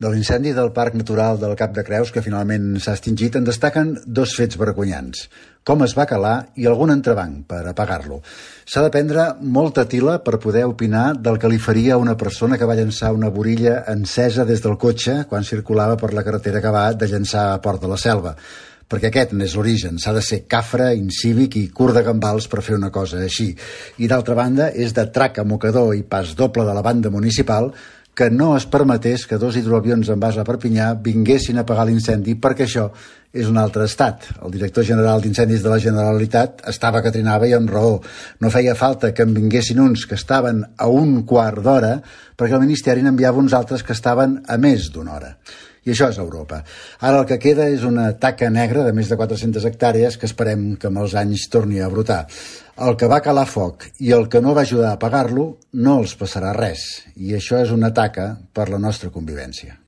De l'incendi del Parc Natural del Cap de Creus, que finalment s'ha extingit, en destaquen dos fets vergonyants: com es va calar i algun entrebanc per apagar-lo. S'ha de prendre molta tila per poder opinar del que li faria a una persona que va llançar una burilla encesa des del cotxe quan circulava per la carretera que va de Llançà a Port de la Selva. Perquè aquest n'és l'origen, s'ha de ser cafre, incívic i curt de gambals per fer una cosa així. I d'altra banda, és de trac a mocador i pas doble de la banda municipal que no es permetés que dos hidroavions en base a Perpinyà vinguessin a apagar l'incendi, perquè això és un altre estat. El director general d'incendis de la Generalitat estava que trinava i amb raó. No feia falta que en vinguessin uns que estaven a un quart d'hora perquè el Ministeri n'enviava uns altres que estaven a més d'una hora. I això és Europa. Ara el que queda és una taca negra de més de 400 hectàrees que esperem que amb els anys torni a brotar. El que va calar foc i el que no va ajudar a apagar-lo no els passarà res. I això és una taca per la nostra convivència.